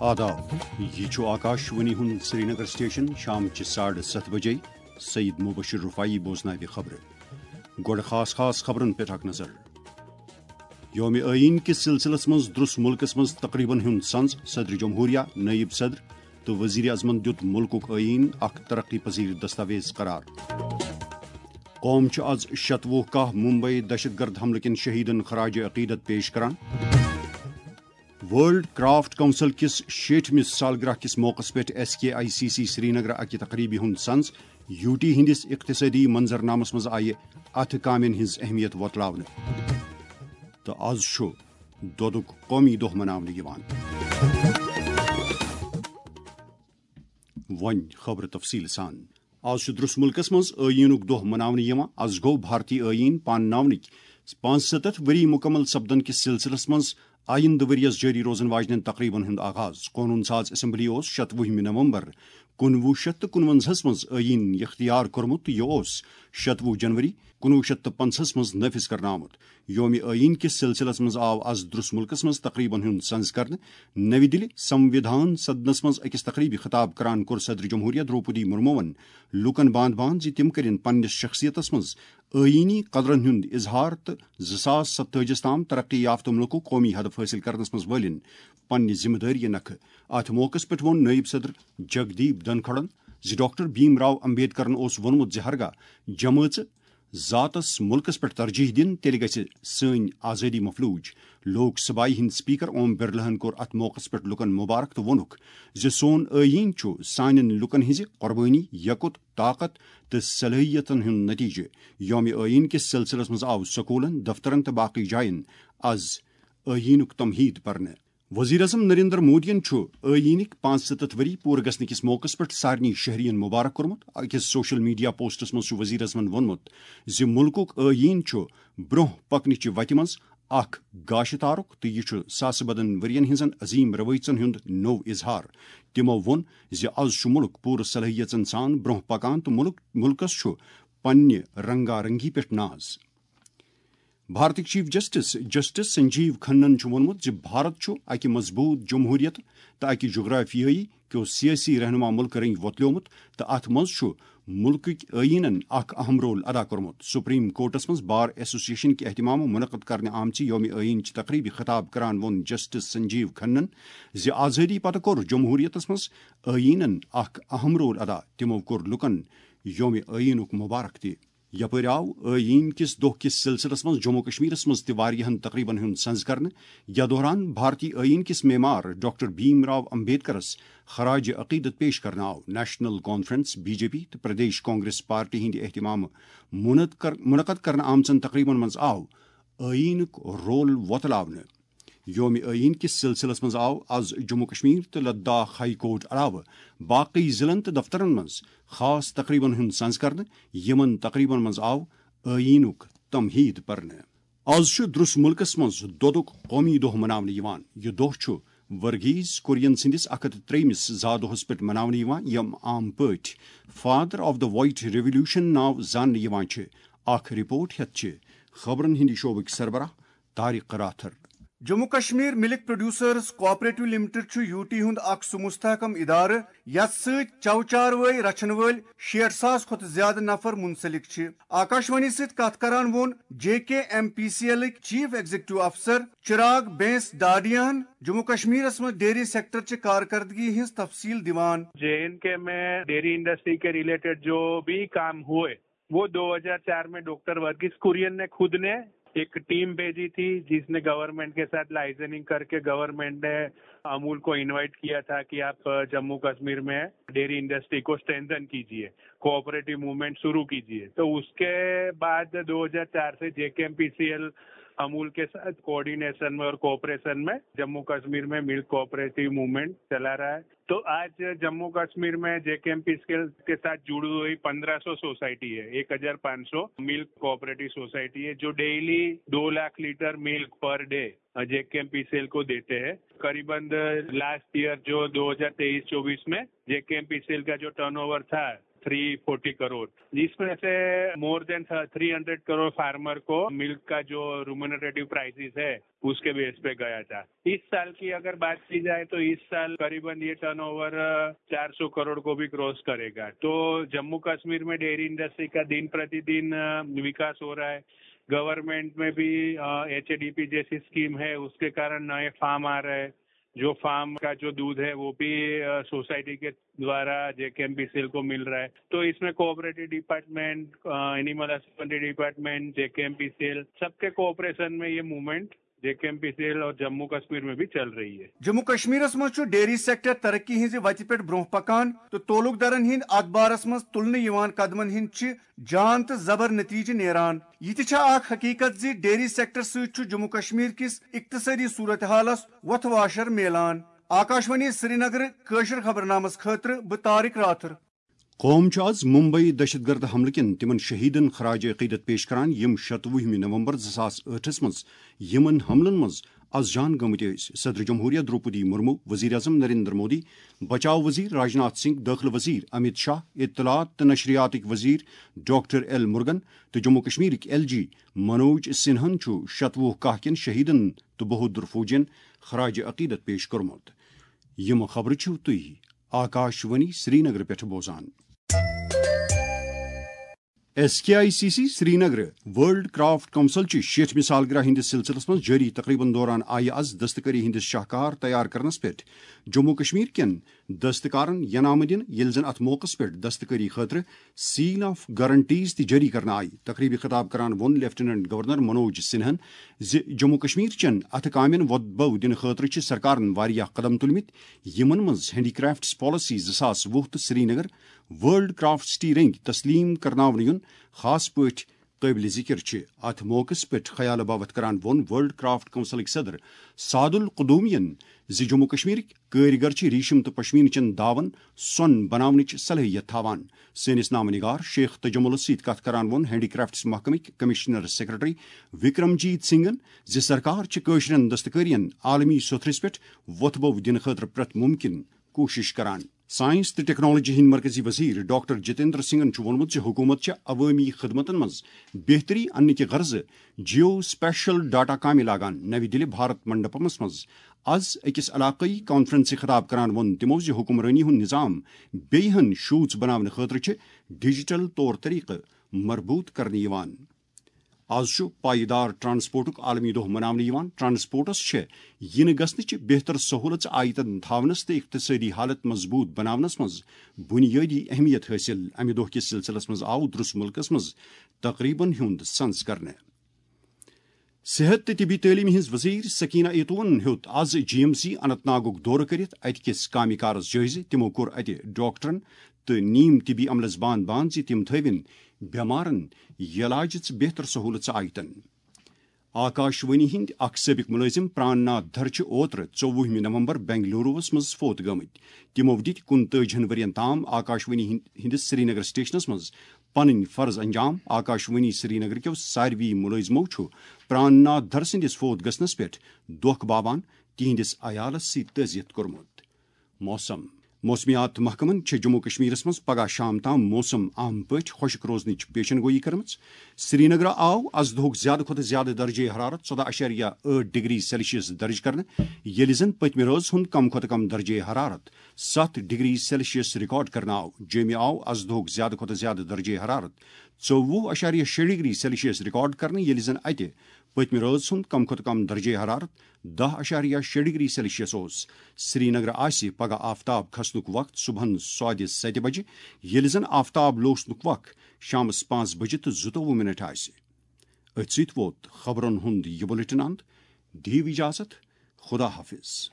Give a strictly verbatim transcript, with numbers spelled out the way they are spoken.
آداب، یہِ چھُ آکاش وانی ہُنٛد سرینگر سٹیشن۔ شام چہِ ساڑٕ ستھ بجے سعید مبشر رفاعی بوزناوِ خبرٕ۔ گۄڈٕ خاص خاص خبرن پٮ۪ٹھ اکھ نظر۔ یوم آئین کِس سلسلس منٛز درٛس مُلکس منٛز تقریبن ہُنٛد سنز۔ صدر جمہوریہ، نائب صدر تہٕ وزیر اعظمن دیُت مُلکُک آئین اکھ ترقی پذیر دستاویز قرار۔ قوم چھُ از شتوُہ کاہ ممبئی دہشت گرد حملہٕ کٮ۪ن شہیدن خراج عقیدت پیش کران۔ ورلڈ کرافٹ کونسل کِس شیٹھمِس سالگرہ کِس موقعس پٮ۪ٹھ S K I C C Srinagar اکہِ تقریبہِ ہُنٛد سنز۔ یوٗ ٹی ہٕنٛدِس اقتصٲدی منظرنامس منٛز آیہِ اتھٕ کامٮ۪ن ہٕنٛز اہمیت وۄتلاونہٕ۔ تہٕ از چھُ دۄدُک قومی دۄہ مناونہٕ یِوان۔ وۄنۍ خبرٕ تفصیٖل سان۔ از چھُ درٛس مُلکس منٛز ٲییٖنُک دۄہ مناونہٕ یِوان۔ از گوٚو بھارتی ٲییٖن پانناونٕکۍ پانٛژھ ستتھ ؤری مُکمل سپدن کِس سلسلس منٛز آیندٕ ؤرۍ یَس جٲری روزن واجنٮ۪ن تقریبن ہُنٛد آغاز۔ قونوٗن ساز اسمبلی اوس شتوُہمہِ نومبر کُنوُہ شیٚتھ تہٕ کُنوَنزاہَس منٛز ٲییٖن اختیار کوٚرمُت۔ یہِ اوس شتوُہ جنوری کُنوُہ شیٚتھ تہٕ پنٛژاہَس منٛز نٲفِذ کرنہٕ آمُت۔ یوم آئین کِس سلسلس منٛز آو از درٛس مُلکس منٛز تقریبن ہُنٛد سنز کرنہٕ۔ نوِ دِلہِ سموِدھان سدنس منٛز أکِس تقریبہِ خطاب کران کوٚر صدر جمہوریہ درٛوپدی مرموہن لوٗکن باند باند زِ تِم کٔرِن پننِس شخصیتس منٛز آئینی قدرن ہُنٛد اظہار تہٕ زٕ ساس ستٲجِس تام ترقی یافتہٕ مُلکُک قومی ہدف حٲصِل کرنس منٛز وٲلِن پننہِ ذمہٕ دٲری نکھٕ۔ اتھ موقعس پٮ۪ٹھ ووٚن نٲیِب صدر جگدیپ دھنکھڑن زِ ڈاکٹر بھیم راو امبیڈکرن اوس ووٚنمُت زِ ہرگاہ جمٲژ ذاتس مُلکس پٮ۪ٹھ ترجیح دِن، تیٚلہِ گژھِ سٲنۍ آزٲدی مفلوج۔ لوک سبھایہ ہٕنٛدۍ سپیکر اوم برلاہن کوٚر اتھ موقعس پٮ۪ٹھ لوٗکن مبارک تہٕ ووٚنُکھ زِ سون ٲییٖن چھُ سانٮ۪ن لوٗکن ہٕنٛزِ قۄربٲنی، یکُت، طاقت تہٕ صلٲحیتن ہُنٛد نتیجہٕ۔ یوم ٲییٖن کِس سلسلس منٛز آو سکوٗلن، دفترن تہٕ باقٕے جاین از ٲییٖنُک تمہیٖد پرنہٕ۔ وزیر اعظم نریندر مودیَن چھُ ٲییٖنٕکۍ پانٛژھ ستتھ ؤری پوٗرٕ گژھنہٕ کِس موقعس پٮ۪ٹھ سارنٕے شہریَن مبارک کوٚرمُت۔ أکِس سوشل میڈیا پوسٹس منٛز چھُ وزیر اعظمَن ووٚنمُت زِ مُلکُک ٲییٖن چھُ برٛونٛہہ پکنٕچہِ وتہِ منٛز اکھ گاشہِ تارُک تہٕ یہِ چھُ ساسہٕ بدن ؤرین ہٕنٛزن عظیٖم رٲوٲیژن ہُنٛد نوٚو اظہار۔ تِمَو ووٚن زِ از چھُ مُلک پوٗرٕ صلٲحیژن سان برٛونٛہہ پکان تہٕ مُلک، مُلکَس چھُ پننہِ رنگا رنگی پٮ۪ٹھ ناز۔ بھارتٕکۍ چیف جسٹس جسٹس سنجیو کھنن چھُ ووٚنمُت زِ بھارت چھُ اکہِ مضبوٗط جمہوٗرِیت تہٕ اکہِ جغرافیٲیی کیو سیٲسی رہنما مُلکہٕ رٔنگۍ وۄتلیومُت تہٕ اتھ منٛز چھُ مُلکٕکۍ ٲییٖنن اکھ اہم رول ادا کوٚرمُت۔ سپریم کورٹس منٛز بار ایسوسیشن کہِ اہتمامہٕ منعقد کرنہٕ آمژِ یوم ٲییٖن چہِ تقریبہِ خطاب کران ووٚن جسٹس سنجیو کھنن زِ آزٲدی پتہٕ کوٚر جمہوٗرِیتس منٛز ٲییٖنن اکھ اہم رول ادا۔ تِمو کوٚر لوٗکن یوم ٲییٖنُک مبارک تہِ۔ یپٲرۍ آو ٲییٖن کِس دۄہ کِس سلسلس منٛز جموں کشمیرس منٛز تہِ واریاہن تقریبن ہُنٛد سنز کرنہٕ۔ یتھ دوران بھارتی ٲییٖن کِس معمار ڈاکٹر بھیم راو امبیڈکرس خراج عقیدت پیش کرنہٕ آو۔ National conference, B J P تہٕ پردیش کانگریس پارٹی ہٕنٛدِ اہتمامہٕ منعقد کر-، منعقد کرنہٕ آمژن تقریبن منٛز آو ٲییٖنُک رول وۄتلاونہٕ۔ یوم ٲییٖن کِس سلسلس منٛز آو از جموں کشمیر تہٕ لداخ ہائی کورٹ علاوٕ باقٕے ضلعن تہٕ دفترن منٛز خاص تقریبن ہُنٛد سنز کرنہٕ۔ یِمن تقریبن منٛز آو ٲییٖنُک تمہیٖد پرنہٕ۔ از چھُ درٛس مُلکس منٛز دۄدُک قومی دۄہ مناونہٕ یِوان۔ یہِ دۄہ چھُ ورگیز کُرین سٕنٛدِس اکھ ہتھ تہٕ ترٛیٚیمِس زا دۄہس پٮ۪ٹھ مناونہٕ یِوان، یِم عام پٲٹھۍ father of the white revolution ناو زاننہٕ یِوان چھِ۔ اکھ رپورٹ ہٮ۪تھ چھِ خبرن ہٕنٛدِ شعبٕکۍ سربراہ طارق راتھر۔ جموں کشمیر ملک پروڈیوسرز کوآپریٹو لمیٹڈ چھُ یوٗ ٹی ہُنٛد اکھ سُہ مستحکم ادارٕ یتھ سۭتۍ چو چاروٲے رچھن وٲلۍ شیٹھ ساس کھۄتہٕ زیادٕ نفر منسلک چھِ۔ آکاشوانی سۭتۍ کتھ کران ووٚن J K M P C ایلٕکۍ چیف ایگزیکٹو افسر چراغ بینس ڈاڈیاہن جموں کشمیرس منٛز ڈیری سیکٹر چہِ کارکردگی ہٕنٛز تفصیل دِوان۔ جے اینڈ کے میں ڈیری انڈسٹری کے ریلیٹڈ جو بھی کام ہوئے، وہ دو ہزار چار میں ڈاکٹر ورگیز کورین نے خود نے ایک ٹیم بھیجی تھی، جس نے گورنمنٹ کے ساتھ لائزننگ کر کے گورنمنٹ نے امول کو انوائٹ کیا تھا کہ آپ، آ، جموں کشمیر میں ڈیری انڈسٹری کو اسٹرینتھن کیجیے، کوآپریٹو موومنٹ شروع کیجیے۔ تو اس کے بعد دو ہزار چار سے J K M P C L Amul کے ساتھ کوآرڈینیشن میں اور کوآپریشن میں جموں کشمیر میں ملک کوآپریٹو موومنٹ چلا رہا ہے۔ تو آج جموں کشمیر میں J K M P C L کے ساتھ جڑی ہوئی پندرہ سو سوسائٹی ہے، ایک ہزار پانچ سو ملک کوآپریٹو سوسائٹی ہے، جو ڈیلی دو لاکھ لیٹر ملک per day J K M P C L کو دیتے ہیں۔ قریباً لاسٹ ایئر جو دو ہزار تیئیس چوبیس میں J K M P C L کا جو ٹرن اوور تھا، थ्री फोर्टी करोड़, जिसमें से more than three hundred crore farmer को मिल्क का जो रिम्यूनरेटिव प्राइसेस है, उसके बेस पे गया था। इस साल की अगर बात की जाए तो इस साल करीबन ये टर्नओवर चार सौ करोड़ को भी क्रॉस करेगा। तो जम्मू कश्मीर में डेयरी इंडस्ट्री का दिन प्रतिदिन अ, विकास हो रहा है। गवर्नमेंट में भी एच ए डी पी जैसी स्कीम है, उसके कारण नए फार्म आ रहे हैं। जो फार्म का जो दूध है, वो भी सोसाइटी के द्वारा जे K M P C L को मिल रहा है। तो इसमें cooperative department, animal husbandry department, J K M P C L, सबके कोऑपरेशन में ये मूवमेंट जे K M P C L और जम्मू कश्मीर में भी चल रही है। جموں و کشمیرس منٛز چھُ ڈیری سیکٹر ترقی ہٕنٛزِ وتہِ پٮ۪ٹھ برٛونٛہہ پکان تہٕ تعلقدارن ہٕنٛدۍ اتھ بارس منٛز تُلنہٕ یِوان قدمن ہٕنٛدۍ چھِ جان تہٕ زبر نتیجہٕ نیران۔ یہِ تہِ چھےٚ اکھ حقیقت زِ ڈیری سیکٹر سۭتۍ چھُ جموں و کشمیر کِس اقتصٲدی صورتحالس وۄتھٕ واشر میلان۔ آکاشوانی سرینگر، کٲشُر خبرنامس خٲطرٕ بہٕ طارق راتھر۔ قوم چھُ آز ممبئی دہشت گرد حملہٕ کٮ۪ن تِمن شہیدن خراج عقیدت پیش کران، یِم شتوُہمہِ نومبر زٕ ساس ٲٹھس منٛز یِمن حملن منٛز از جان گٔمٕتۍ ٲسۍ۔ صدر جمہوریہ دروپدی مرمو، وزیر اعظم نریندر مودی، بچاو وزیر راجناتھ سنگھ، دٲخلہٕ وزیر امیت شاہ، اطلاعات تہٕ نشریاتٕکۍ وزیر ڈاکٹر ایل مرگن تہٕ جموں و کشمیرٕکۍ ایل جی منوج سنہن چھُ شتوُہ کاہ کٮ۪ن شہیدن تہٕ بہادر فوجین خراج عقیدت پیش کوٚرمُت۔ یِم خبرٕ چھِو تُہۍ آکاشوانی سرینگر پٮ۪ٹھ بوزان۔ S K I C C Srinagar world craft council چہِ شیٹھمہِ سالگرہ ہٕنٛدِس سلسلس منٛز جٲری تقریبن دوران آیہِ از دستکٲری ہٕنٛدِس شاہکار تیار کرنس پٮ۪ٹھ جموں و کشمیر کٮ۪ن دستکارن ینامہٕ دِنہٕ، ییٚلہِ زن اتھ موقعس پٮ۪ٹھ دستکٲری خٲطرٕ سیل آف گارنٹیز تہِ جٲری کرنہٕ آیہِ۔ تقریبی خطاب کران ووٚن لیفٹیننٹ گورنر منوج سنہن زِ جموں و کشمیر چٮ۪ن اتھٕ کامٮ۪ن وۄتبو دِنہٕ خٲطرٕ چھِ سرکارن واریاہ قدم تُلمٕتۍ، یِمن منٛز ہینڈی کرافٹس پالیسی زٕ ساس وُہ تہٕ سرینگر ورلڈ کرافٹ سٹی رنگۍ تسلیم کرناونہٕ یُن خاص پٲٹھۍ قٲبلِ ذِکر چھِ۔ اتھ موقعس پٮ۪ٹھ خیال باوتھ کران ووٚن ورلڈ کرافٹ کونسلٕکۍ صدر سعد القدومین زِ جموں و کشمیرٕکۍ کٲرۍگر چھِ ریشم تہٕ پشمیٖنہٕ چٮ۪ن داون سۄن بناونٕچ صلٲحیت تھاوان۔ سٲنِس نامہ نگار شیخ تجملس سۭتۍ کتھ کران ووٚن ہینڈی کرافٹس محکمٕکۍ کمشنر سیکرٹری وکرم جیت سنگھن زِ سرکار چھِ کٲشرٮ۪ن دستکٲرین عالمی سوٚتھرِس پٮ۪ٹھ وۄتھٕ بو دِنہٕ خٲطرٕ پرٛٮ۪تھ مُمکِن کوٗشش کران۔ ساینس تہٕ ٹیکنالوجی ہٕنٛدۍ مرکزی وزیر ڈاکٹر جتیندر سنگھن چھُ ووٚنمُت زِ حکوٗمت چھےٚ عوٲمی خدمتن منٛز بہتری اننہٕ کہِ غرضہٕ جیو اسپیشل ڈاٹا کامہِ لاگان۔ نَوِ دِلہِ بھارت منڈپمس منٛز از أکِس علاقٲیی کانفرنسہِ خطاب کران ووٚن تِمو زِ حکمرٲنی ہُنٛد نظام بیٚیہِ ہن شوٗژ بناونہٕ خٲطرٕ چھِ ڈیجیٹل طور طریقہٕ مربوط کرنہٕ یِوان۔ از چھُ پائیدار ٹرانسپورٹُک عالمی دۄہ مناونہٕ یِوان۔ ٹرانسپورٹس چھےٚ یِنہٕ گژھنٕچ بہتر سہولژ آیتن تھاونس تہٕ اقتصٲدی حالت مضبوط بناونس منٛز بنیٲدی اہمیت حٲصِل۔ امہِ دۄہ کِس سلسلس منٛز آو درس مُلکس منٛز تقریبن ہُنٛد سنز کرنہٕ۔ صحت تہٕ طبی تعلیمہِ ہٕنٛز وزیر سکینہ ایتوَن ہیوٚت از جی ایم سی اننت ناگُک دورٕ کٔرِتھ اتہِ کِس کامہِ کارس جٲیزٕ۔ تِمو کوٚر اتہِ ڈاکٹرن تہٕ نیم طبی عملس باند باند زِ تِم تھٲوِن بٮ۪مارن یلاجٕچ بہتر سہولژ آیتن۔ آکاشوانی ہٕنٛدۍ اکھ سٲبق مُلٲزِم پران ناتھ دھر چھِ اوترٕ ژوٚوُہمہِ نومبر بنگلوروَس منٛز فوت گٔمٕتۍ۔ تِمو دِتۍ کُنتٲجِہن ؤرین تام آکاشوانی ہٕنٛدِ-، ہٕنٛدِس سرینگر سٹیشنَس منٛز پنٕنۍ فرض انجام۔ آکاشوانی سرینگر کیو ساروی مُلٲزِمو چھُ پران ناتھ دھر سٕنٛدِس فوت گژھنَس پٮ۪ٹھ دۄکھ باوان تِہنٛدِس عیالَس سۭتۍ تعزیت کوٚرمُت۔ موسم۔ موسمیات محکمن چھِ جموں و کشمیرس منٛز پگہہ شام تام موسم عام پٲٹھۍ خۄشک روزنٕچ پیشن گویی کٔرمٕژ۔ سرینگرٕ آو از دۄہُک زیادٕ کھۄتہٕ زیادٕ درجے حرارت ژۄداہ اعشاریہ ٲٹھ ڈگری سیلسیس درج کرنہٕ، ییٚلہِ زن پٔتمہِ رٲژ ہُنٛد کم کھۄتہٕ کم درجے حرارت ستھ ڈگری سیلسیس ریکارڈ کرنہٕ آو۔ جوٚمہِ آو از دۄہُک زیادٕ کھۄتہٕ زیادٕ درجے حرارت ژوٚوُہ اعشاریہ شےٚ ڈگری سیلسیس ریکارڈ کرنہٕ، ییٚلہِ زن اتہِ پٔتمہِ رٲژ ہُنٛد کم کھۄتہٕ کم درجے حرارت دَہ اعشاریہ شےٚ ڈگری سیلسیس اوس۔ سرینگرٕ آسہِ پگہہ آفتاب کھسنُک وقت صبحن سوادِ ستہِ بجہِ، ییٚلہِ زن آفتاب لوسنُک وقت شامس پانٛژھ بجہِ تہٕ زٕتووُہ منٹ آسہِ۔ أتھۍ سۭتۍ ووت خبرن ہُنٛد یہِ بُلٹن اند۔ دِیِو اجازت، خدا حافظ۔